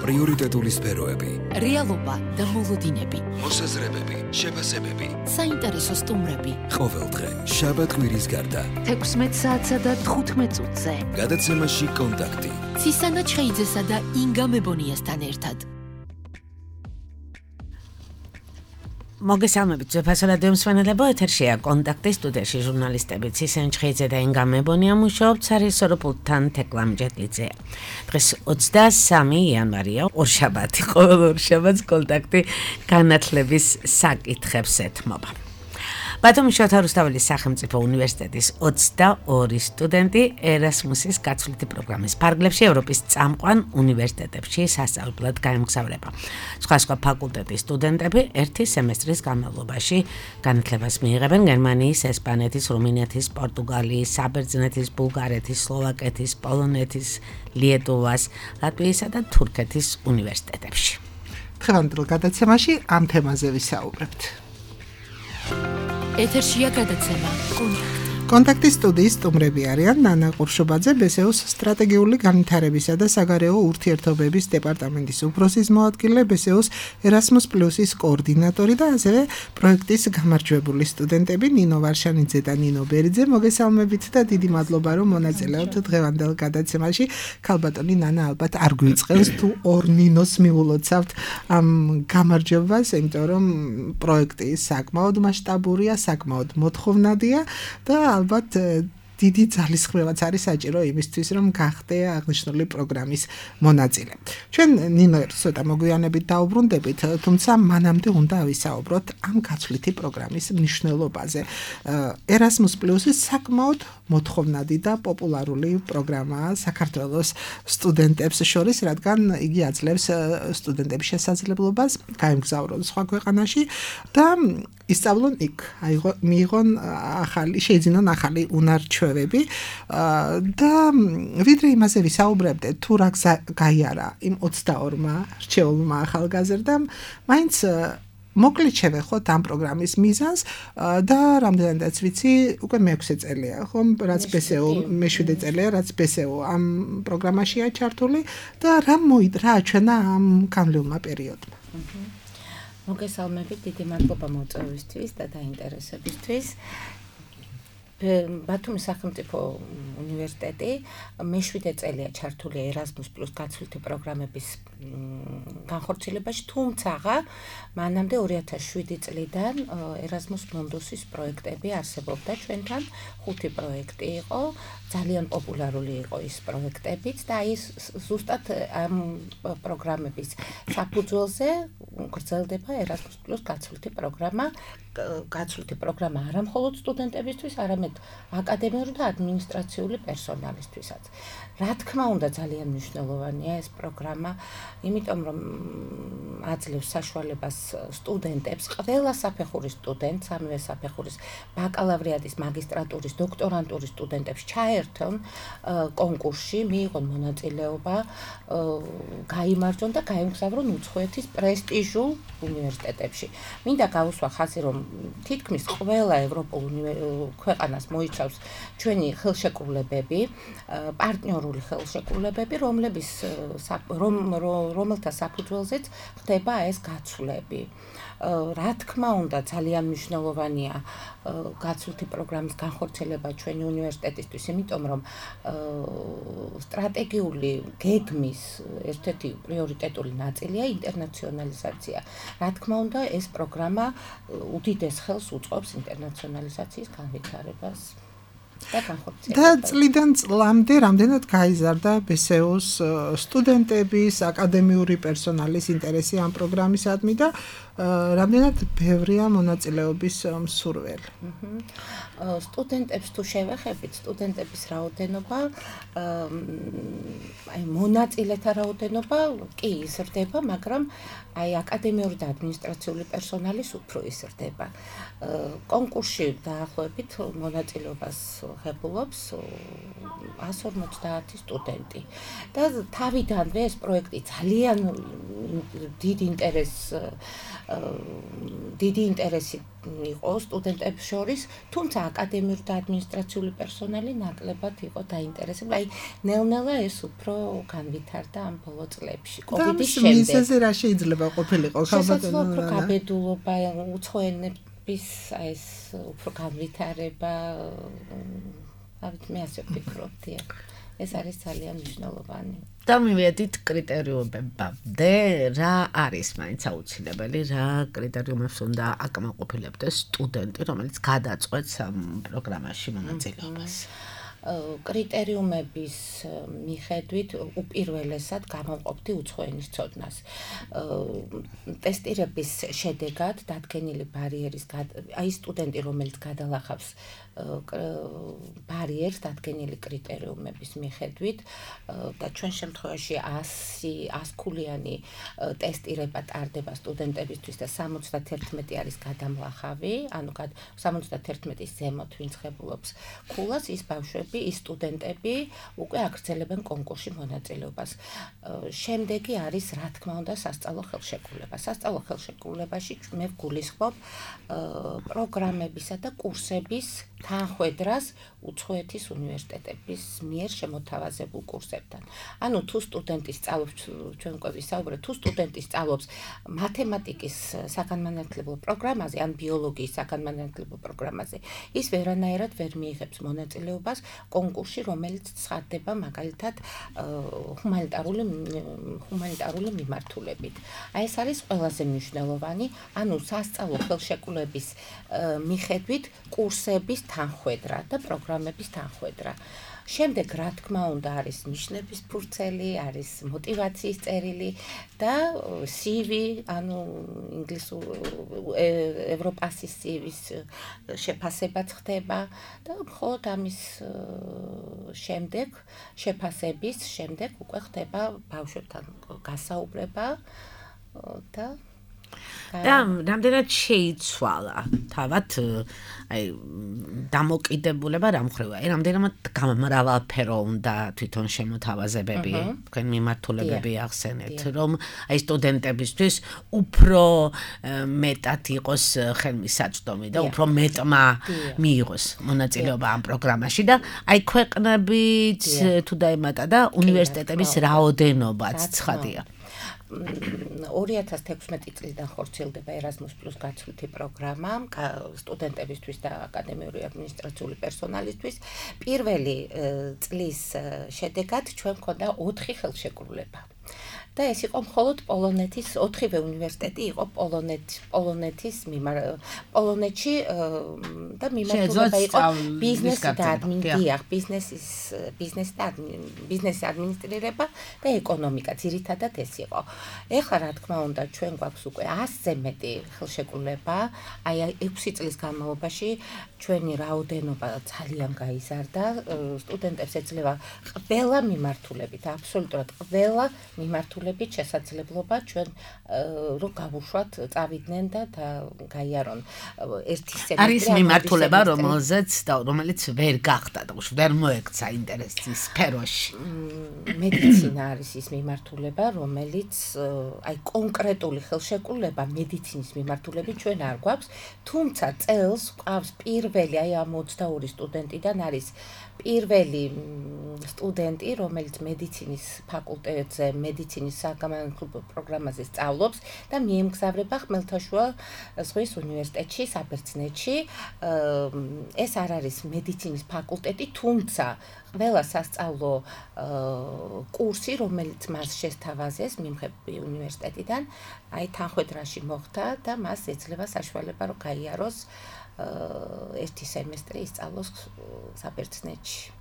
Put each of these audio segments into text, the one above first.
პრიორიტეტული სფეროები, რეალობა და მოლოდინები, მოსაზრებები, შეფასებები, საინტერესო სტუმრები. ყოველდღე, შაბათ-კვირის გარდა, 16 საათსა და 15 წუთზე. გადაცემაში კონტაქტი. ცისანა ჩხეიძესა და ინგა მებონიასთან ერთად. მოგესალმებით, ძვირფასო რადიო მსმენელებო, ეთერშია კონტაქტი, სტუდიაში ჟურნალისტები ცისანა ჩხეიძე და ინგა მებონია მუშაობთ სარეჟისორო პულტთან თეკლა მჯედლიძე. დღეს 23 იანვარია, ორშაბათი, ყოველ ორშაბათს კონტაქტი განათლების საკითხებს ეთმობა. ბათუმის შოთა რუსთაველის სახელმწიფო უნივერსიტეტის 22 სტუდენტი ერასმუსის გაცვლითი პროგრამის ფარგლებში ევროპის წამყვან უნივერსიტეტებში სასწავლებლად გაემგზავრება. სხვა ფაკულტეტის სტუდენტები ერთი სემესტრის განმავლობაში განათლებას მიიღებენ გერმანიის, ესპანეთის, რუმინეთის, პორტუგალიის, საბერძნეთის, ბულგარეთის, სლოვაკეთის, პოლონეთის, ლიეტუვას, ლატვიისა და თურქეთის უნივერსიტეტებში. დღევანდელ გადაცემაში ამ თემაზე ვისაუბრებთ. ეთერშია გადაცემა კონტაქტის სტუდიის სტუმრები არიან ნანა ყურშუბაძე, ბესეუს სტრატეგიული განვითარებისა და საგარეო ურთიერთობების დეპარტამენტის უფროსის მოადგილე, ბესეუს ერასმუს პლუსის კოორდინატორი და ასევე პროექტის გამარჯვებული სტუდენტები ნინო ვარშანიძე და ნინო ბერიძე. მოგესალმებით და დიდი მადლობა რომ მონაწილეობთ დღევანდელ გადაცემაში. ქალბატონი ნანა ალბათ არ გვიწყევს თუ ორ ნინოს მიულოცავთ ამ გამარჯვებას, იმიტომ რომ პროექტი საკმაოდ მასშტაბურია, საკმაოდ მოთხოვნადია და ალბათ დიდი ძალისხმევაც არის საჭირო იმისთვის, რომ გახდე აღნიშნული პროგრამის მონაწილე. ჩვენ ნინო ცოტა მოგვიანებით დაუბრუნდებით, თუმცა მანამდე უნდა ვისაუბროთ ამ გაცვლითი პროგრამის მნიშვნელობაზე. Erasmus Plus-ი საკმაოდ მოთხოვნადი და პოპულარული პროგრამაა საქართველოს სტუდენტებს შორის, რადგან იგი აძლევს სტუდენტების შესაძლებლობას გაემგზავრონ სხვა ქვეყანაში და ისწავლონ იქ, მიიღონ შეიძინონ ახალი უნარჩვევები და ვიდრე იმაზე ვისაუბრებდეთ, თუ რა გაიარა იმ 22-მა რჩეულმა ახალგაზრდამ, მაინც მოკლედ შევეხოთ ამ პროგრამის მიზანს და რამდენადაც ვიცი, უკვე მე-6 წელია, ხომ, რაც BSEO, მე-7 წელია, რაც BSEO ამ პროგრამაშია ჩართული და რა აჩვენა ამ განვლილმა პერიოდმა. მოგესალმებით, დიდი მადლობა მოწვევისთვის და დაინტერესებისთვის. ბათუმის სახელმწიფო უნივერსიტეტი მე-7 წელია ჩართული Erasmus Plus გაცვლითი პროგრამების განხორციელებაში, თუმცა მანამდე 2007 წლიდან Erasmus Mundus-ის პროექტები არსებობდა ჩვენთან, 5 პროექტი იყო, ძალიან პოპულარული იყო ის პროექტებიც და ის ზუსტად ამ პროგრამების საფუძველზე გრძელდება Erasmus Plus გაცვლითი პროგრამა. გაცვლითი პროგრამა არა მხოლოდ სტუდენტებისთვის, არამედ აკადემიური და ადმინისტრაციული პერსონალისთვისაც. რა თქმა უნდა, ძალიან მნიშვნელოვანია ეს პროგრამა, იმიტომ რომ აძლევს საშუალებას სტუდენტებს, ყველა საფეხურის სტუდენტს, სამივე საფეხურის ბაკალავრიატის, მაგისტრატურის, დოქტორანტურის სტუდენტებს ჩაერთონ კონკურსში, მიიღონ მონაწილეობა, გაიმარჯვონ და გაემგზავრონ უცხოეთის პრესტიჟულ უნივერსიტეტებში. მინდა გავუსვა ხაზი, რომ თითქმის ყველა ევროპულ ქვეყანას მოიცავს ჩვენი ხელშეკრულებები, პარტნიორული ხელშეკრულებები, რომელთა საფუძველზეც ხდება ეს გაცვლები. რა თქმა უნდა, ძალიან მნიშვნელოვანია გაცვლითი პროგრამის განხორციელება ჩვენი უნივერსიტეტისთვის, იმიტომ რომ სტრატეგიული გეგმის ერთ-ერთი პრიორიტეტული ნაწილია ინტერნაციონალიზაცია. რა თქმა უნდა, ეს პროგრამა უდიდეს ხელს უწყობს ინტერნაციონალიზაციის განვითარებას. და წლიდან წლამდე რამდენად გაიზარდა BSEO-ს სტუდენტების, აკადემიური პერსონალის ინტერესი ამ პროგრამისადმი და რამდენად ბევრია მონაწილეობის მსურველი. სტუდენტებს თუ შევეხებით, სტუდენტების რაოდენობა, მონაწილეთა რაოდენობა კი იზრდება, მაგრამ აკადემიური და ადმინისტრაციული პერსონალის უფრო იზრდება. კონკურსში დაახლოებით მონაწილეობას ღებულობს 150 სტუდენტი. და თავიდანვე ეს პროექტი ძალიან დიდ ინტერესს დიდი ინტერესი იყო სტუდენტებს შორის, თუმცა აკადემიური და ადმინისტრაციული პერსონალი ნაკლებად იყო დაინტერესებული. აი, ნელ-ნელა ეს უფრო განვითარდა ამ ბოლო წლებში, კოვიდის შემდეგ. მიზეზი რა შეიძლება ყოფილიყო, ხალხო უფრო გაბედულობა, უცხო ენების ეს უფრო განვითარება, მე ასე ვფიქრობდი. ეს არის ძალიან მნიშვნელოვანი. და მივედით კრიტერიუმებამდე, რა არის მაინც აუცილებელი, რა კრიტერიუმებს უნდა აკმაყოფილებდეს სტუდენტი, რომელიც გადაწყვეტს ამ პროგრამაში მონაწილეობას. კრიტერიუმების მიხედვით უპირველესად გამოვყოფდი უცხო ენის ცოდნას. ტესტირების შედეგად დადგენილი ბარიერის აი სტუდენტი, რომელიც გადალახავს ბარიერს დადგენილი კრიტერიუმების მიხედვით და ჩვენ შემთხვევაში 100 ქულიანი ტესტირება ტარდება სტუდენტებისთვის და 71 არის გადამლახავი, ანუ 71-ის ზემოთ ვინც ღებულობს ქულას, ის ბავშვები, ის სტუდენტები უკვე აგრძელებენ კონკურსში მონაწილეობას. შემდეგი არის, რა თქმა უნდა, სასწავლო ხელშეკრულება. სასწავლო ხელშეკრულებაში მე ვგულისხმობ პროგრამებისა და კურსების თანხვედრას უცხოეთის უნივერსიტეტების მიერ შემოთავაზებულ კურსებთან. ანუ თუ სტუდენტი სწავლობს, ჩვენ უკვე ვისაუბრეთ, თუ სტუდენტი სწავლობს მათემატიკის საგანმანათლებლო პროგრამაზე, ან ბიოლოგიის საგანმანათლებლო პროგრამაზე, ის ვერანაირად ვერ მიიღებს მონაწილეობას კონკურსში, რომელიც ცხადდება მაგალითად ჰუმანიტარული მიმართულებით. აი ეს არის ყველაზე მნიშვნელოვანი, ანუ სასწავლო ხელშეკრულების მიხედვით კურსების თანხვედრა და პროგრამების თანხვედრა. შემდეგ, რა თქმა უნდა, არის ნიშნების ფურცელი, არის მოტივაციის წერილი და CV, ანუ ინგლისურ ევროპასის CV-ს შეფასებაც ხდება და მხოლოდ ამის შემდეგ, შეფასების შემდეგ უკვე ხდება ბავშვებთან გასაუბრება და რამდენად შეიცვალა თავად აი დამოკიდებულება რა მხრივ აი რამდენად გამრავალფერო უნდა თვითონ შემოთავაზებები თქვენ მიმართულებები ახსენეთ რომ აი სტუდენტებისთვის უფრო მეტად იყოს ხელმისაწვდომი და უფრო მეტმა მიიღოს მონაწილეობა ამ პროგრამაში და აი ქვეყნებით თუ დაემატა და უნივერსიტეტების რაოდენობაც ცხადია 2016 წლიდან ხორციელდება Erasmus+ გაცვლითი პროგრამა სტუდენტებისთვის და აკადემიური ადმინისტრაციული პერსონალისთვის. პირველი წლის შედეგად ჩვენ გვქონდა 4 ხელშეკრულება. და ეს იყო მხოლოდ პოლონეთის 4-ვე უნივერსიტეტი იყო პოლონეთში და მიმართულება იყო ბიზნესი და ბიზნესის ადმინისტრირება და ეკონომიკა, ძირითადად ეს იყო. ეხლა რა თქმა უნდა ჩვენ გვაქვს უკვე 100-ზე მეტი ხელშეკრულება, აი 6 წლის განმავლობაში ჩვენი რაოდენობა ძალიან გაიზარდა, სტუდენტებს ეძლევა ყველა მიმართულებით, აბსოლუტურად ყველა მიმართულებით შესაძლებლობა ჩვენ რომ გავუშვათ, წავიდნენ და გაიარონ ერთი სემესტრი. არის მიმართულება, რომელიც ვერ გახდა და ვერ მოექცა ინტერესის სფეროში. მედიცინა არის ის მიმართულება, რომელიც აი კონკრეტული ხელშეკრულება მედიცინის მიმართულებით ჩვენ არ გვაქვს, თუმცა წელს გვყავს პირველი აი ამ 22 სტუდენტიდან არის პირველი სტუდენტი, რომელიც მედიცინის ფაკულტეტზე, მედიცინის საგანმანათლებლო პროგრამაზე სწავლობს და მიემგზავრება ხმელთაშუა ზღვის უნივერსიტეტში, საბერძნეთში. ეს არ არის მედიცინის ფაკულტეტი, თუმცა ყველა სასწავლო კურსი, რომელიც მას შესთავაზეს მიმღები უნივერსიტეტიდან, აი თანხვედრაში მოხდა და მას ეძლევა საშუალება, რომ გაიაროს ერთი სემესტრი ისწავლოს საბერძნეთში.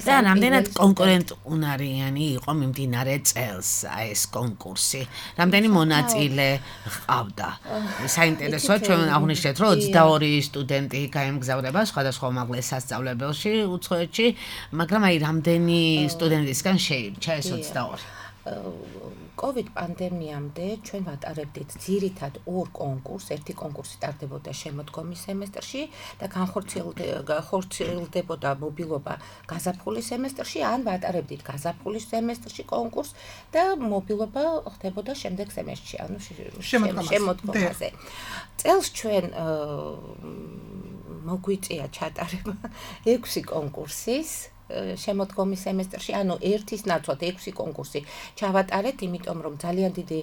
და რამდენად კონკურენტუნარიანი იყო მიმდინარე წელს ეს კონკურსი? რამდენი მონაწილე ჰყავდა? საინტერესოა, ჩვენ აღვნიშნეთ, რომ 22 სტუდენტი გაემგზავრება სხვადასხვა უმაღლეს სასწავლებელში უცხოეთში, მაგრამ აი რამდენი სტუდენტისგან შეირჩა ეს 22? COVID პანდემიამდე ჩვენ ვატარებდით ძირითად ორ კონკურსს, ერთი კონკურსი ტარდებოდა შემოდგომის სემესტრში და განხორციელდებოდა მობილობა გაზაფხულის სემესტრში, ან ვატარებდით გაზაფხულის სემესტრში კონკურსს და მობილობა ხდებოდა შემდეგ სემესტრში, ანუ შემოდგომაზე. წელს ჩვენ მოგვიწია ჩატარება 6 კონკურსის შემოდგომის სემესტრში, ანუ ერთის ნაცვლად 6 კონკურსი ჩავატარეთ, იმიტომ რომ ძალიან დიდი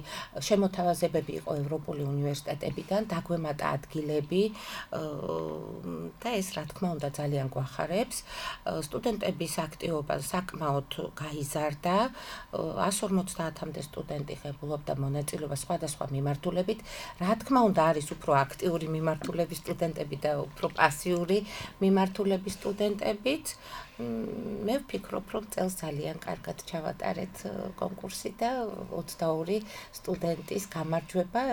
შემოთავაზებები იყო ევროპული უნივერსიტეტებიდან, დაგვემატა ადგილები და ეს რა თქმა უნდა ძალიან გვახარებს. სტუდენტების აქტივობა საკმაოდ გაიზარდა, 150-მდე სტუდენტი ღებულობდა მონაწილეობას სხვადასხვა მიმართულებით. რა თქმა უნდა არის უფრო აქტიური მიმართულების სტუდენტები და უფრო პასიური მიმართულების სტუდენტებიც. მე ვფიქრობ, რომ წელს ძალიან კარგად ჩავატარეთ კონკურსი და 22 სტუდენტის გამარჯვება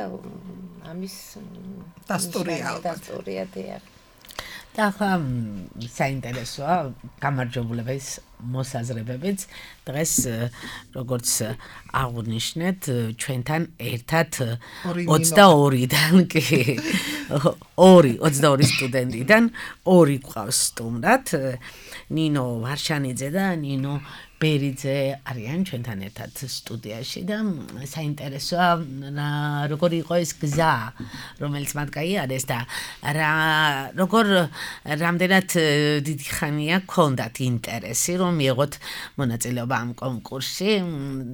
ამის დასტურია დიახ. და ახლა საინტერესოა გამარჯვებულების მოსაზრებებიც დღეს როგორც აღნიშნეთ ჩვენთან ერთად 22-დან კი 22 სტუდენტიდან 2 გვყავს სტუმრად ნინო ვარშანიძე და ნინო ბერიძე არიან ჩვენთან ერთად სტუდიაში და საინტერესოა როგორ იყო ეს გზა რომელიც მათ გაიარეს და რამდენად დიდი ხანია გქონდათ ინტერესი რომ მიიღოთ მონაწილეობა ამ კონკურსში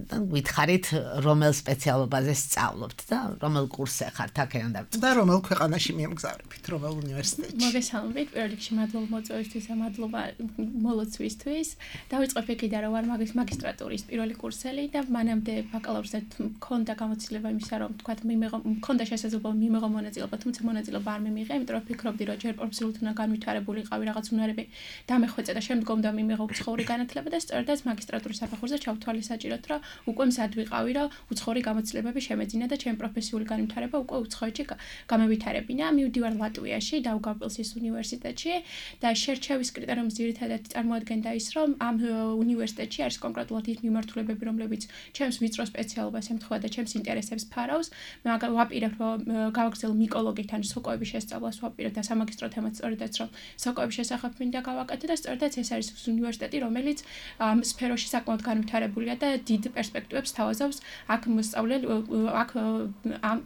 და გითხარით რომელ სპეციალობაზე სწავლობთ და რომელ კურსზე ხართ აქედან და რომელ ქვეყანაში მიემგზავრებით რომელ უნივერსიტეტში მოგესალმებით პირველ რიგში მადლობა მოწვევისთვის და მადლობა მოლოცვისთვის დავიწყებ იქიდან რომ ვარ მაგისტრატურის პირველი კურსელი და მანამდე ბაკალავრზე მქონდა გამოცდილება იმისა რომ თქვა მქონდა შესაძლებლობა მიმეღო მონაწილეობა თუმცა მონაწილეობა არ მიმიღე იმიტომ რომ ფიქრობდი რომ ჯერ პროფესიულად უნდა განვითარებული იყავი რაღაც უნარები დამეხვეწე და შემდგომ და მიმეღო უცხოური განათლება და სწორედაც მაგისტრატურის საფეხურზე ჩავთვალე საჭიროდ რომ უკვე მზად ვიყავი რომ უცხოური გამოცდილებები შემეძინა და ჩემი პროფესიული განვითარება უკვე უცხოეთში გამევითარებინა მივდივარ ლატვიაში დაუგავპილსის უნივერსიტეტში და შერჩევის კრიტერიუმის ძირითადად წარმოადგენდა ის რომ ამ უნივერსიტეტში არის კონკრეტულად ის მიმართულებები რომლებიც ჩემს ვიწრო სპეციალობას ემთხვევა და ჩემს ინტერესებს ფარავს მე ვაპირებ რომ გავაგრძელო მიკოლოგით ან სოკოების შესწავლას ვაპირებ და სამაგისტრო თემაც სწორედაც რომ სოკოების შესახებ მინდა გავაკეთო და სწორედაც ეს არის უნივერსიტეტი რომელიც ამ სფეროში საკმაოდ განვითარებულია და დიდ პერსპექტივებს თავაზობს აქ მოსწავლე აქ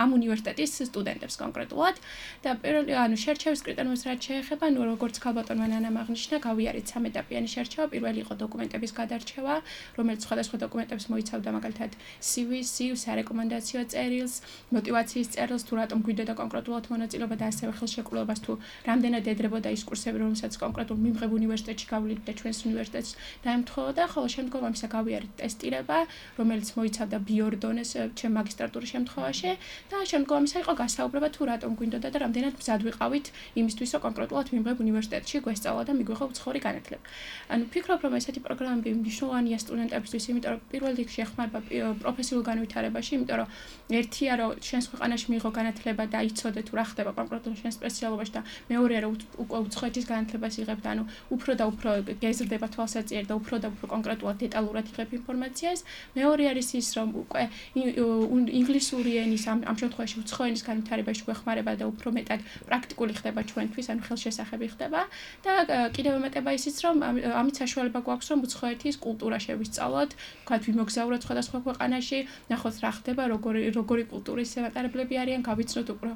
ამ უნივერსიტეტის სტუდენტებს კონკრეტულად და პირველი ანუ შერჩევის კრიტერიუმს რაც შეეხება ნუ როგორც ქალბატონმა ნანამ აღნიშნა გავიარეთ სამეტაპიანი შერჩევა პირველი იყო დოკუმენტების გადარჩევა რომელიც სხვადასხვა დოკუმენტებს მოიცავდა მაგალითად CV-ს, სარეკომენდაციო წერილს, მოტივაციის წერილს, თუ რატომ გვიდოდა კონკრეტულად მონაწილეობა და ასევე ხელშეკრულებას თუ რამდენად ედრებოდა ის კურსები, რომელსაც კონკრეტულ მიმღებ უნივერსიტეტში გავლით და ჩვენს უნივერსიტეტს დაემთხოვოდა, ხოლო შემდგომ ამისა გავიარეთ ტესტირება, რომელიც მოიცავდა ბიორ დონეს ჩემ მაგისტრატურის შემთხვევაში და შემდგომ ამისა იყო გასაუბრება თუ რატომ გვინდოდა და რამდენად მზად ვიყავით იმისთვის, რომ კონკრეტულად მიმღებ უნივერსიტეტში გვესწავლა და მიგვიღო უცხოური განათლება. ანუ ფიქრობ, რომ ესეთი პროგრამები მნიშვნელოვანია სტუდენტებისთვის, იმიტომ რომ პირველ რიგში ეხმარება პროფესიულ განვითარებაში, იმიტომ რომ ერთია რომ შენს ქვეყანაში მიიღო განათლება და იცოდე თუ რა ხდება კონკრეტულ შენ სპეციალობაში და მეორეა რომ უკვე უცხოეთის განათლებას იღებ და ანუ უფრო და უფრო გეზრდება თვალსაჩინო და უფრო კონკრეტულად დეტალურად იღებ ინფორმაციას. მეორე არის ის რომ უკვე ინგლისური ენის ამ შემთხვევაში უცხო ენის განვითარებაში გვეხმარება და უფრო მეტად პრაქტიკული ხდება ჩვენთვის, ანუ ხელშესახები ხდება და კიდევ ემატება ისიც რომ ამით საშუალება გვაქვს რომ უცხოეთის კულტურა შევისწავლოთ, ვთქვათ, ვიმოგზავროთ სხვადასხვა ქვეყანაში, ნახოთ რა ხდება, როგორი კულტურის მატარებლები არიან, გავიცნოთ უფრო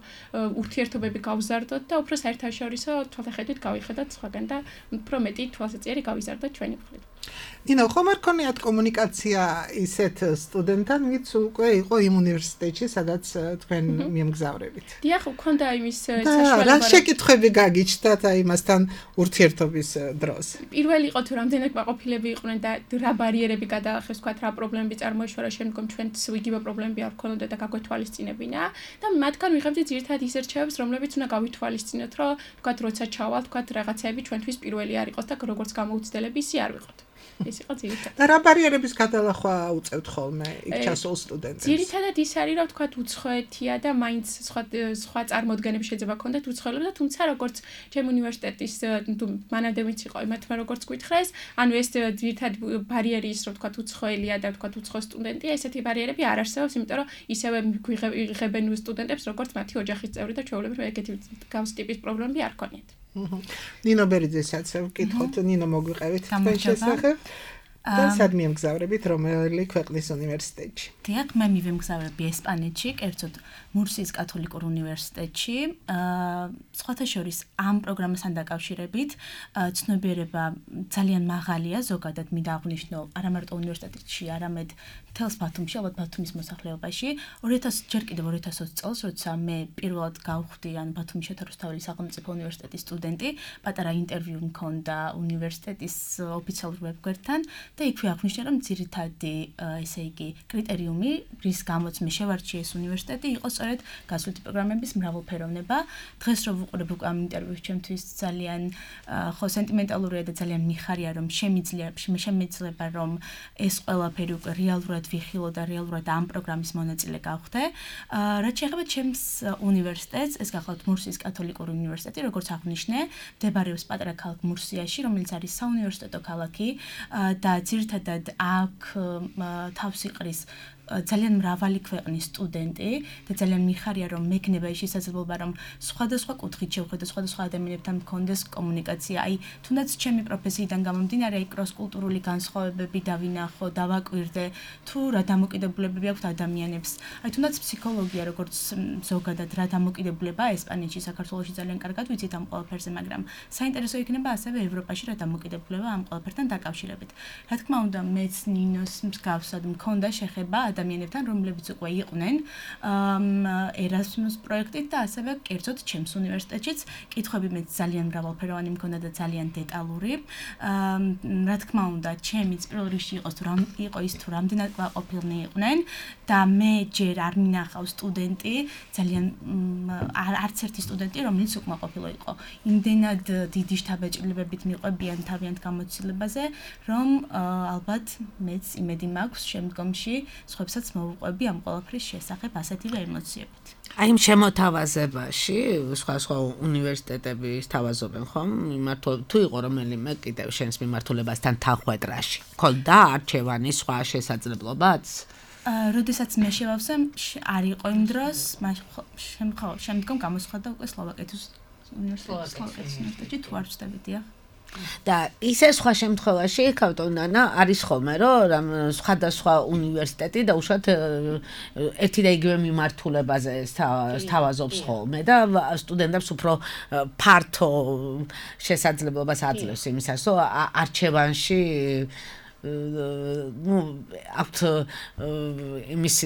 ურთიერთობები გავზარდოთ და უფრო საერთაშორისო თვალსაჩინოდ გავიხედოთ სხვაგან და უფრო მეტი თვალსაჩინო გავიზარდოთ ჩვენი მხრივ. ნინო, ხომ არ ქონიათ კომუნიკაცია ისეთ სტუდენტთან, ვინც უკვე იყო იმ უნივერსიტეტში, სადაც თქვენ მიემგზავრებით? დიახ, მქონდა იმის საშუალება. რა შეკითხვები გაგიჩნდათ იმასთან ურთიერთობის დროს? პირველი იყო თუ რამდენად კმაყოფილები იყვნენ და რა ბარიერები გადაახეს, ვთქვათ, რა პრობლემები წარმოიშვა, რომ შემდგომ ჩვენც იგივე პრობლემები არ გქონოდა და გაგვეთვალისწინებინა და მათგან ვიღებდით ძირითადად ის რჩევებს, რომლებიც უნდა გავითვალისწინოთ, რომ ვთქვათ, როცა ჩავალთ, ვთქვათ, რაღაცები ჩვენთვის პირველი არ იყოს და როგორც გამოუცდელები ისე არ ვიყოთ. ეს იყო ძირითადად. და რა ბარიერების გადალახვა უწევთ ხოლმე იქ ჩასულ სტუდენტებს? ძირითადად ის არის, რომ თქვათ უცხოეთია და მაინც სხვა წარმოდგენები შეიძლება ქონდეთ უცხოელებს და თუმცა როგორც ჩემ უნივერსიტეტის მანამდე ვინც იყო იმათმა როგორც გითხრეს, ანუ ეს ძირითადად ბარიერი ის რომ თქვათ უცხოელია და თქვათ უცხო სტუდენტია, ესეთი ბარიერები არ არსებობს, იმიტომ რომ ისევე იღებენ სტუდენტებს როგორც მათი ოჯახის წევრი და ჩვეულებრივ ეგეთი გავს ტიპის პრობლემები არ ქონიათ. ნინო ბერიძესაც ვკითხოთ, ნინო მოგვიყევით თქვენ შესახებ. და სად მიემგზავრებით რომელი ქვეყნის უნივერსიტეტში? დიახ, მე მივემგზავრები ესპანეთში, კერძოდ მურსიის კათოლიკურ უნივერსიტეტში. სხვათა შორის ამ პროგრამასთან დაკავშირებით ცნობიერება ძალიან მაღალია, ზოგადად მინდა აღვნიშნო არა მარტო უნივერსიტეტში, არამედ მთელს ბათუმში, ალბათ ბათუმის მოსახლეობაში. 2020 წელს, როცა მე პირველად გავხვდი ან ბათუმის შეთავაზებული სახელმწიფო უნივერსიტეტის სტუდენტი, პატარა ინტერვიუ მქონდა უნივერსიტეტის ოფიციალურ ვებგვერდთან. და იქვე აღნიშნა, რომ ძირითადი, ესე იგი, კრიტერიუმი, რის გამოც მე შევარჩიე ეს უნივერსიტეტი, იყო სწორედ გასვლითი პროგრამების მრავალფეროვნება. დღეს რო ვუყურებ უკვე ამ ინტერვიუს, ჩემთვის ძალიან ხო სენტიმენტალურია და ძალიან მიხარია, რომ შემიძლია რომ ეს ყველაფერი უკვე რეალურად ვიხილო და რეალურად ამ პროგრამის მონაწილე გავხდე. რაც შეეხება ჩემს უნივერსიტეტს, ეს გახლავთ მურსიის კათოლიკური უნივერსიტეტი, როგორც აღნიშნე, მდებარეობს პატარა ქალაქ მურსიაში, რომელიც არის საუნივერსიტეტო ქალაქი და ძირითადად აქ თავს იყრის ძალიან მრავალი ქვეყნის სტუდენტი და ძალიან მიხარია რომ მექნება ის შესაძლებლობა რომ სხვადასხვა კუთხით შევხედო სხვადასხვა ადამიანებთან მქონდეს კომუნიკაცია. აი თუნდაც ჩემი პროფესიიდან გამომდინარე აი კროს-კულტურული განსხვავებები დავინახო, დავაკვირდე თუ რა დამოკიდებულებები აქვს ადამიანებს. აი თუნდაც ფსიქოლოგია როგორც ზოგადად რა დამოკიდებულებაა ესპანეთში, საქართველოში ძალიან კარგად ვიცით ამ ყველაფერზე, მაგრამ საინტერესო იქნება ასევე ევროპაში რა დამოკიდებულება ამ ყველაფერთან დაკავშირებით. რა თქმა უნდა, მეც ნინოს მსგავსად მქონდა შეხება ადამიანებთან, რომლებიც უკვე იყვნენ ერასმუს პროექტით და ასევე კერძოდ ჩემს უნივერსიტეტშიც კითხვები მეც ძალიან მრავალფეროვანი მქონდა და ძალიან დეტალური. რა თქმა უნდა, ჩემიც პირველ რიგში იყო ის თუ რამდენად კმაყოფილნი იყვნენ და მე ჯერ არ მინახავ სტუდენტი, ძალიან არც ერთი სტუდენტი, რომელიც უკმაყოფილო იყო. იმდენად დიდი შთაბეჭდილებებით მიყვებიან თავიანთ გამოცდილებაზე, რომ ალბათ მეც იმედი მაქვს შემდგომში სხვებსაც მოვუყვები ამ ყველაფრის შესახებ ასეთივე ემოციებით. აი იმ შემოთავაზებაში სხვა უნივერსიტეტები სთავაზობენ ხომ? თუ იყო რომელიმე კიდევ შენს მიმართულებასთან თანხვედრაში. ქონდა არჩევანი სხვა შესაძლებლობაც? როდესაც მე შევავსე, არ იყო იმ დროს, შემდგომ გამოსხდა უკვე სლოვაკეთის უნივერსიტეტში თუ არ ვცდები, დიახ. და ისე სხვა შემთხვევაში კავტონანა არის ხოლმე რომ სხვადასხვა უნივერსიტეტი და უშუალოდ ერთი და იგივე მიმართულებაზე სთავაზობს ხოლმე და სტუდენტებს უფრო ფართო შესაძლებლობას აძლევს იმისას რომ არჩევანში აქვთ იმის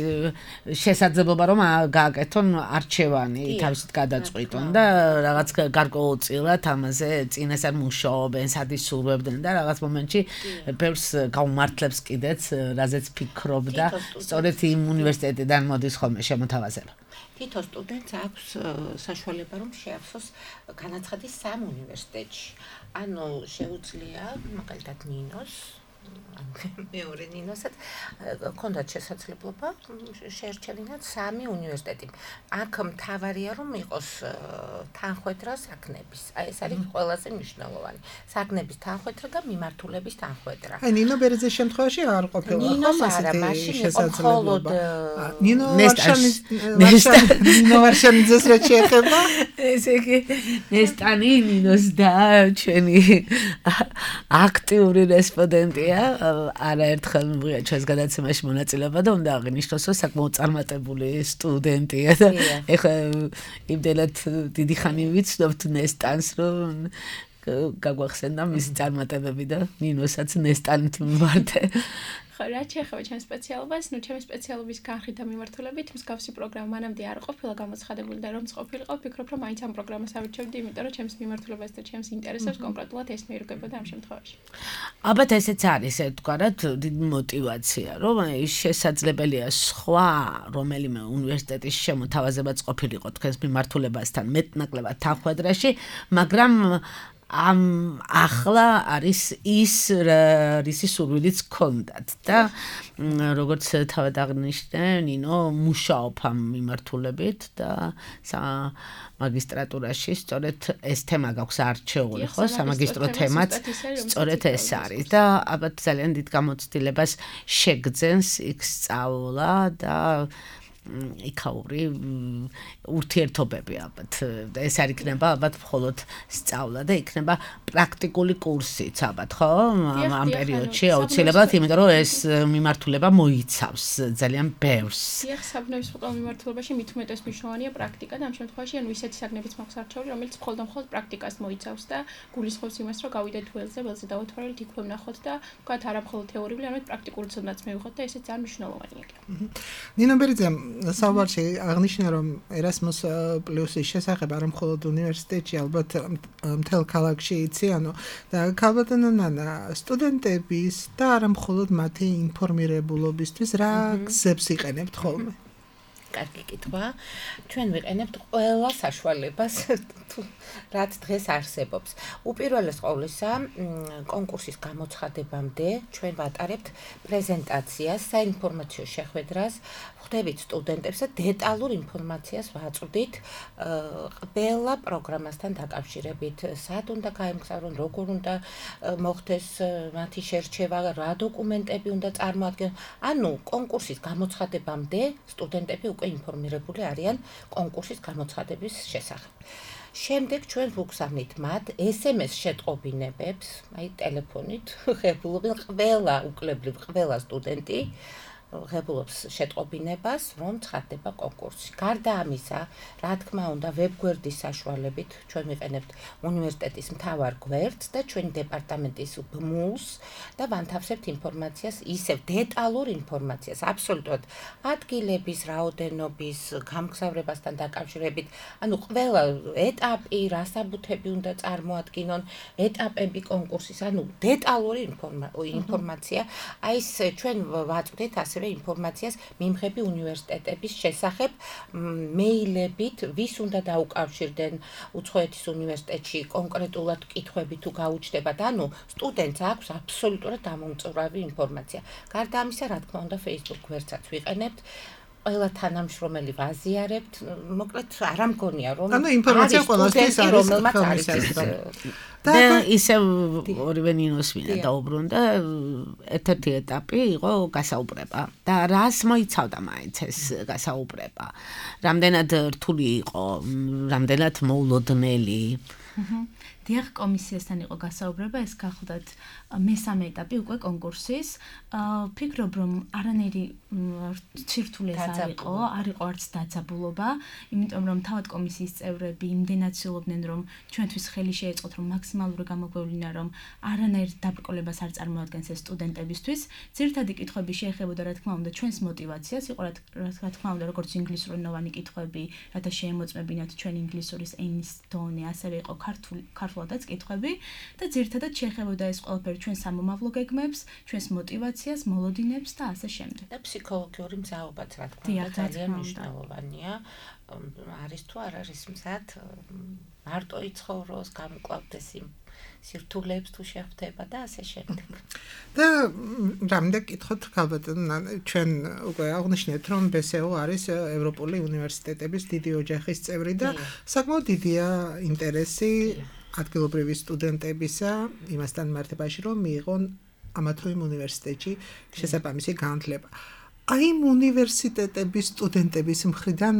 შესაძლებლობა რომ გააკეთონ არჩევანი თავისით გადაწყვიტონ და რაღაც გარკვეულწილად ამაზე წინასწარ მუშაობენ, სადისურვებდნენ და რაღაც მომენტში ბევრს გაუმართლებს კიდეც, რაზეც ფიქრობდა, სწორედ იმ უნივერსიტეტიდან მოდის ხოლმე შემოთავაზება. თითო სტუდენტს აქვს საშუალება რომ შეავსოს განაცხადის სამ უნივერსიტეტში. ანუ შეუძლია მაგალითად ნინოს მეორე ნინოსაც ქონდათ შესაძლებლობა შეერჩევინათ სამი უნივერსიტეტი. აქ მთავარია რომ იყოს თანხვედრა საქმების. აი ეს არის ყველაზე მნიშვნელოვანი. საქმების თანხვედრა და მიმართულების თანხვედრა. აი ნინო ბერიძის შემთხვევაში არ ყოფილა ხომ ასეთი შესაძლებლობა. ნინო ვარშანიძეს რა შეეხება? ესე იგი ნესტანი ნინოს და ჩვენი აქტიური რესპონდენტია. არაერთხელ მივიღეთ ჩვენს გადაცემაში მონაწილეობა და უნდა აღინიშნოს, რომ საკმაოდ წარმატებული სტუდენტია და ეხლა იმდენად დიდი ხანი ვიცნობთ ნესტანს, რომ გაგვახსენდა მისი წარმატებები და ნინოსაც ნესტანით მივარდე. ხო, რაც შეეხება ჩემს სპეციალობას, ჩემი სპეციალობის განხრით და მიმართულებით მსგავსი პროგრამა მანამდე არ ყოფილა გამოცხადებული და რომც ყოფილიყო, ვფიქრობ, რომ მაინც ამ პროგრამას ავირჩევდი, იმიტომ რომ ჩემს მიმართულებას და ჩემს ინტერესებს კონკრეტულად ეს მიირგებოდა ამ შემთხვევაში. ალბათ ესეც არის, თქვათ, დიდი мотиваცია, რომ ის შესაძლებელია სხვა რომელიმე უნივერსიტეტის შემოთავაზებაც ყოფილიყო თქვენს მიმართულებასთან მეტნაკლებად თანხვედრაში, მაგრამ ამ ახლა არის ის რისი სურვილიც გქონდათ და როგორც თავად აღნიშნე ნინო მუშაობ ამ მიმართულებით და მაგისტრატურაში სწორედ ეს თემა გაქვს არჩეული ხო სამაგისტრო თემაც სწორედ ეს არის და ალბათ ძალიან დიდ გამოცდილებას შეგძენს იქ სწავლა და იქაური ურთიერთობები ალბათ ეს არ იქნება ალბათ მხოლოდ სწავლა და იქნება პრაქტიკული კურსიც ალბათ ხო ამ პერიოდში აუცილებლად იმიტომ რომ ეს მიმართულება მოიცავს ძალიან ბევრს დიახ საბნევის მოყალ მიმართულებაში მით უმეტეს მნიშვნელოვანია პრაქტიკა და ამ შემთხვევაში ანუ ისეთი საგნებიც მაქვს არჩეული რომელიც მხოლოდ პრაქტიკას მოიცავს და გულისხმობს იმას რომ გავიდეთ ველზე დავათვალეთ იქვე ვნახოთ და ვთქვათ არა მხოლოდ თეორიული არამედ პრაქტიკული ცოდნაც მივიღოთ და ესეც ძალიან მნიშვნელოვანია ნინო ბერიძე საუბარში აღნიშნა რომ Erasmus Plus-ის შესახებ არა მხოლოდ უნივერსიტეტში, ალბათ მთელ ქალაქში იციან და ქალბატონო ნანა სტუდენტების და არა მხოლოდ მათი ინფორმირებულობისთვის რა გზებს იყენებთ ხოლმე? კარგი კითხვა. ჩვენ ვიყენებთ ყველა საშუალებას რაც დღეს არსებობს. უპირველეს ყოვლისა, კონკურსის გამოცხადებამდე ჩვენ ვატარებთ პრეზენტაციას, საინფორმაციო შეხვედრას, ხვდებით სტუდენტებს და დეტალურ ინფორმაციას ვაწვდით ყველა პროგრამასთან დაკავშირებით, სად უნდა გაემგზავრონ, როგორ უნდა მოხდეს მათი შერჩევა, რა დოკუმენტები უნდა წარმოადგენონ. ანუ კონკურსის გამოცხადებამდე სტუდენტები უკვე ინფორმირებული არიან კონკურსის გამოცხადების შესახებ. შემდეგ ჩვენ ვუგზავნით მათ SMS შეტყობინებებს, აი ტელეფონით, ღებულობენ ყველა სტუდენტი ღებულობს შეტყობინებას, რომ ცხადდება კონკურსი. გარდა ამისა, რა თქმა უნდა, ვებგვერდის საშუალებით ჩვენ ვიყენებთ უნივერსიტეტის მთავარ გვერდს და ჩვენი დეპარტამენტის BMUL-ს და ვანთავსებთ ინფორმაციას, ისევ დეტალურ ინფორმაციას, აბსოლუტურად ადგილების, რაოდენობის, გამგზავრებასთან დაკავშირებით, ანუ ყველა ეტაპი, რა საბუთები უნდა წარმოადგინონ, ეტაპები კონკურსის, ანუ დეტალური ინფორმაცია, აი ეს ჩვენ ვაწვდით ასევე ინფორმაციას მიმღები უნივერსიტეტების შესახებ მეილებით, ვის უნდა დაუკავშირდნენ უცხოეთის უნივერსიტეტში კონკრეტულად კითხვები თუ გაუჩნდებათ, ანუ სტუდენტს აქვს აბსოლუტურად დამოუკიდებელი ინფორმაცია. გარდა ამისა, რა თქმა უნდა, Facebook გვერდსაც ვიყენებთ. ყველა თანამშრომელი ვაზიარებთ, მოკლედ არ ამგონია რომ ანუ ინფორმაცია ყველასთვის არის და ისევ ორივე ნინოს მინდა დაუბრუნდა ერთ-ერთი ეტაპი იყო გასაუბრება და რას მოიცავდა მაინც ეს გასაუბრება რამდენად რთული იყო რამდენად მოულოდნელი დიახ კომისიასთან იყო გასაუბრება ეს გახლდათ მესამე ეტაპი უკვე კონკურსის ფიქრობ რომ არანაირი ცირთულეს არ იყო არც დაძაბულობა იმიტომ რომ თავად კომისიის წევრები იმდენად ცდილობდნენ რომ ჩვენთვის ხელი შეეწყოთ რომ მაქსიმალური გამოგვევლინა რომ არანაირ დაბრკოლებას არ წარმოადგენს ეს სტუდენტებისთვის ძირითადი კითხვები შეეხებოდა რა თქმა უნდა ჩვენს мотиваციას იყო რა თქმა უნდა როგორც ინგლისურენოვანი კითხვები რათა შეემოწმებინათ ჩვენ ინგლისურის ენის დონე ასევე იყო ქართულადაც კითხვები და ძირითადად შეეხებოდა ეს ყველაფერი ჩვენ სამომავლო გეგმებს, ჩვენს мотиваციას, მოლოდინებს და ასე შემდეგ. და ფსიქოლოგიური მზაობაც რა თქმა უნდა ძალიან მნიშვნელოვანია. არის თუ არ არის მზად მარტო იცხოვროს, გამოკლავდეს იმ სირთულეებს თუ შეხვდება და ასე შემდეგ. და რამდენ კითხოთ ქალბატონო, ჩვენ უკვე აღნიშნეთ რომ BSEO არის ევროპული უნივერსიტეტების დიდი ოჯახის წევრი და საკმაოდ დიდია ინტერესი ადგილობრივი სტუდენტებისა იმასთან მიმართებაში რომ მიიღონ ამა თუ იმ უნივერსიტეტში შესაბამისი განათლება. აი იმ უნივერსიტეტების სტუდენტების მხრიდან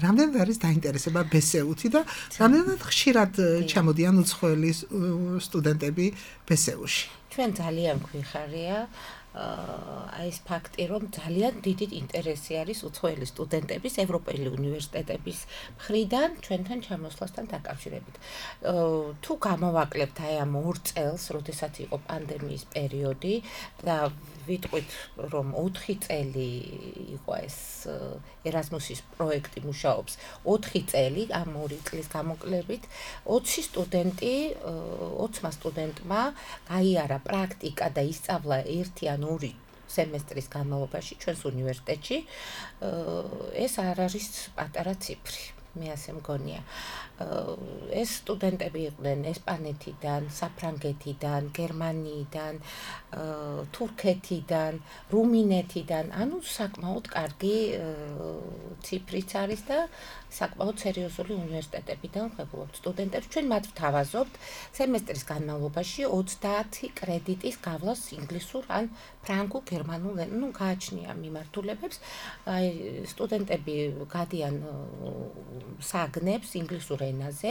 რამდენად არის დაინტერესება BSEO-ით და რამდენად ხშირად ჩამოდიან უცხოელი სტუდენტები BSEO-ში? ჩვენ ძალიან გვიხარია აი ეს ფაქტი, რომ ძალიან დიდი ინტერესი არის უცხოელი სტუდენტების ევროპელი უნივერსიტეტების მხრიდან ჩვენთან ჩამოსვლასთან დაკავშირებით. თუ გამოვაკლებთ აი ამ 2 წელს, როდესაც იყო პანდემიის პერიოდი და ვიტყვით, რომ 4 წელი იყო ეს Erasmus-ის პროექტი მუშაობს, 4 წელი ამ 2 წლის გამოკლებით 20 სტუდენტმა გაიარა პრაქტიკა და ისწავლა 1-2 სემესტრის განმავლობაში ჩვენს უნივერსიტეტში. ეს არ არის პატარა ციფრი. მე ასე მგონია. ეს სტუდენტები იყვნენ ესპანეთიდან, საფრანგეთიდან, გერმანიიდან, თურქეთიდან, რუმინეთიდან, ანუ საკმაოდ კარგი ციფრიც არის და საკმაოდ სერიოზული უნივერსიტეტებიდან ვღებულობთ სტუდენტებს. ჩვენ მათ ვთავაზობთ სემესტრის განმავლობაში 30 კრედიტის გავლას ინგლისურ ან ფრანგულ, გერმანულ, გააჩნია მიმართულებებს. აი სტუდენტები გადიან საგნებს ინგლისურ ენაზე,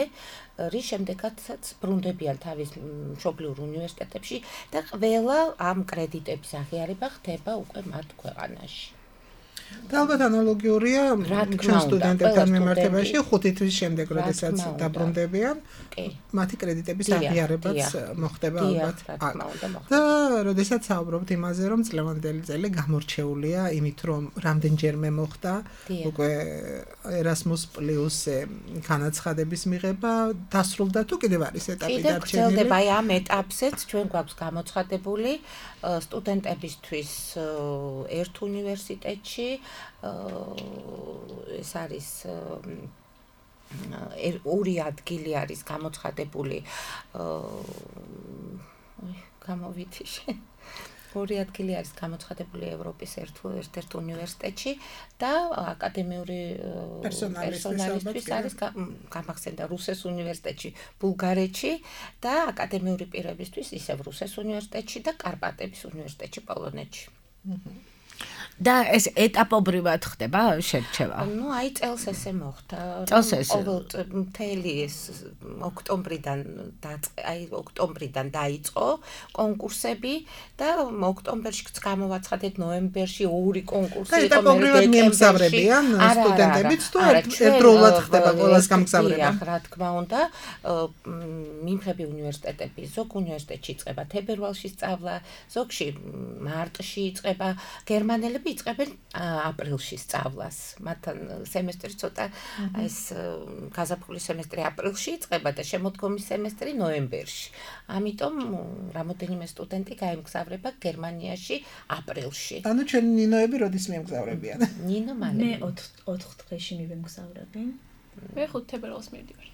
რის შემდეგაც ბრუნდებიან თავის მშობლიურ უნივერსიტეტებში და ყველა ამ კრედიტების აღიარება ხდება უკვე მათ ქვეყანაში. და ალბათ ანალოგიურია ჩვენ სტუდენტებთან მიმართებაში 5 თვის შემდეგ, როდესაც დაბრუნდებიან, მათი კრედიტების აღიარებაც მოხდება ალბათ. და როდესაც საუბრობთ იმაზე, რომ წლევანდელი წელი გამორჩეულია იმით, რომ რამდენჯერმე მოხდა უკვე Erasmus Plus-ზე განაცხადების მიღება, დასრულდა თუ კიდევ არის ეტაპი დარჩენილი? კიდევ გრძელდება აი ამ ეტაპზეც ჩვენ გვაქვს გამოცხადებული სტუდენტებისთვის ერთ უნივერსიტეტში ეს არის ორი ადგილი არის გამოცხადებული გამოვითიშე ორი ადგილი არის გამოცხადებული ევროპის ერთ-ერთ უნივერსიტეტში და აკადემიური პერსონალისთვის არის გამახსენდა რუსეს უნივერსიტეტში, ბულგარეთში და აკადემიური პირებისთვის ისევ რუსეს უნივერსიტეტში და კარპატების უნივერსიტეტში პოლონეთში. და ეს ეტაპობრივად ხდება შერჩევა. ნუ აი წელს ესე მოხდა. მთელი ეს ოქტომბრიდან დაიწყო კონკურსები და ოქტომბერშიც გამოვაცხადეთ, ნოემბერში ორი კონკურსი იყო, ეტაპობრივად მიემგზავრებიან სტუდენტებიც თუ ერთდროულად ხდება ყველას გამგზავრება? რა თქმა უნდა, მიმღები უნივერსიტეტები ზოგ უნივერსიტეტში იწყება თებერვალში სწავლა, ზოგში მარტში იწყება, გერმანელები იწყებენ აპრილში სწავლას. მათთან სემესტრი ცოტა ეს გაზაფხულის სემესტრი აპრილში იწყება და შემოდგომის სემესტრი ნოემბერში. ამიტომ რამოდენიმე სტუდენტი გაემგზავრება გერმანიაში აპრილში. ანუ ჩვენ ნინოები როდის მიემგზავრებიან? ნინო მალე. მე 4 დღეში მივემგზავრები. მე 5 თებერვალს მივდივარ.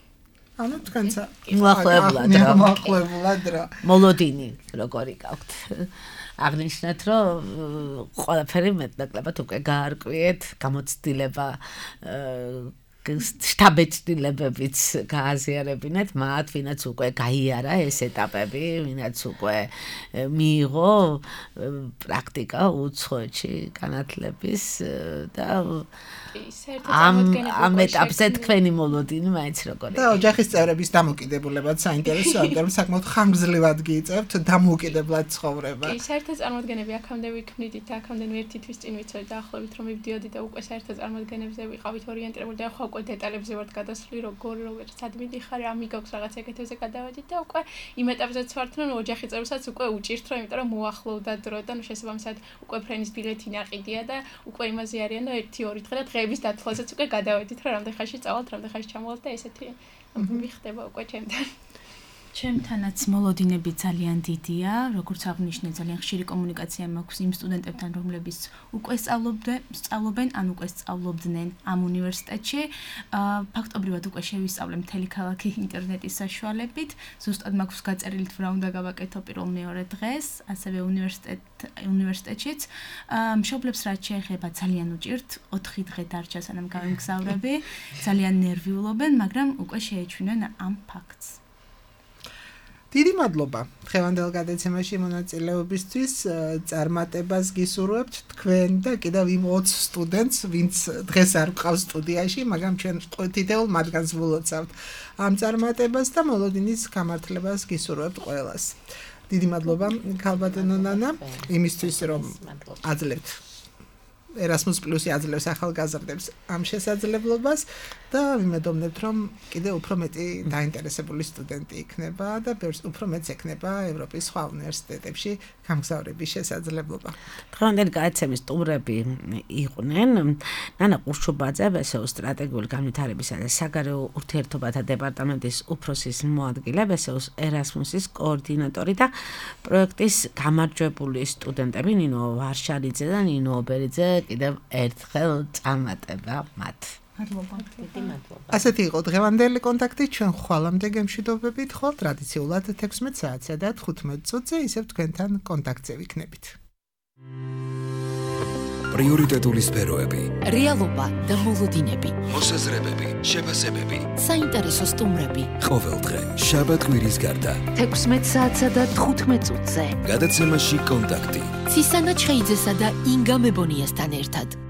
ანუ თქვენცა მოახლეულად რა. მოლოდინი როგორი გაქვთ? აღნიშნეთ, რომ ყველაფერი მეტნაკლებად უკვე გაარკვიეთ, გამოცდილება შტაბეჭდილებებიც გააზიარებინეთ მათ, ვინაც უკვე გაიარა ეს ეტაპები, ვინაც უკვე მიიღო პრაქტიკა უცხოეთში განათლების და ამ ეტაპზე თქვენი მოლოდინი მაინც როგორია? და ოჯახის წევრების დამოკიდებულებაც საინტერესოა, რომ საკმაოდ ხანგრძლივად გიიწევთ დამოუკიდებლად ცხოვრება. კი, საერთო წარმოდგენები აქამდე ვიქმნიდით, აქამდე ერთი თვის წინ ვიცოდით დაახლოებით რომ მივდიოდი და უკვე საერთო წარმოდგენებზე ვიყავით ორიენტირებული და ხო უკვე დეტალებზე ვართ გადასვლი, როგორ სად მიდიხარ, ამი გაქვს რაღაც ეგეთებზე გადავედით და უკვე იმ ეტაპზეც ვართ, რომ ოჯახი წევრსაც უკვე უჭირთ, რომ იმიტომ რომ მოახლოვდა დრო და შესაბამისად უკვე ფრენის ბილეთი ნაყიდია და უკვე იმაზე არიან და 1-2 დღე და დღეების დათვლაზეც უკვე გადავედით, რომ რამდენ ხანში წავალთ, რამდენ ხანში ჩამოვალთ და ესეთი მიხდება უკვე ჩემთან. ჩემთანაც მოლოდინები ძალიან დიდია, როგორც აღნიშნე, ძალიან ხშირი კომუნიკაცია მაქვს იმ სტუდენტებთან, რომლებიც უკვე სწავლობენ, ან უკვე სწავლობდნენ ამ უნივერსიტეტში. ფაქტობრივად უკვე შევისწავლე მთელი ქალაქი ინტერნეტის საშუალებით. ზუსტად მაქვს გაწერილი თუ რა უნდა გავაკეთო პირველ-მეორე დღეს, ასევე უნივერსიტეტშიც. მშობლებს რაც შეეხება ძალიან უჭირთ, 4 დღე დარჩა სანამ გავემგზავრები. ძალიან ნერვიულობენ, მაგრამ უკვე შეეჩვენენ ამ ფაქტს. დიდი მადლობა დღევანდელ გადაცემაში მონაწილეობისთვის. წარმატებას გისურვებთ თქვენ და კიდევ იმ 20 სტუდენტს, ვინც დღეს არ გვყავს სტუდიაში, მაგრამ ჩვენ თითოეულ მათგანს ვლოცავთ ამ წარმატებას და მოლოდინის გამართლებას გისურვებთ ყველას. დიდი მადლობა ქალბატონო ნანა იმისთვის, რომ აძლევთ Erasmus Plus-ი აძლევს ახალგაზრდებს ამ შესაძლებლობას და ვიმედოვნებთ, რომ კიდევ უფრო მეტი დაინტერესებული სტუდენტი იქნება და უფრო მეტს ექნება ევროპის სხვა უნივერსიტეტებში გამგზავრების შესაძლებლობა. დღევანდელი გადაცემის სტუმრები იყვნენ ნანა ყურშუბაძე, ბესეუს სტრატეგიული განვითარებისა და საგარეო ურთიერთობათა დეპარტამენტის უფროსის მოადგილე, ბესეუს Erasmus-ის კოორდინატორი და პროექტის გამარჯვებული სტუდენტები ნინო ვარშალიძე და ნინო ობერიძე. კიდევ ერთხელ წარმატება მათ. მადლობა. დიდი მადლობა. ასეთი იყო დღევანდელი კონტაქტი, ჩვენ ხვალამდე გემშვიდობებით, ხოლ ტრადიციულად 16 საათსა და 15 წუთზე ისევ თქვენთან კონტაქტზე ვიქნებით. პრიორიტეტული სფეროები, რეალობა და მოლოდინები, მოსაზრებები, შეფასებები. საინტერესო სტუმრები. ყოველდღე, შაბათ-კვირის გარდა. 16 საათსა და 15 წუთზე. გადაცემაში კონტაქტი. ცისანა ჩხეიძესა და ინგა მებონიასთან ერთად.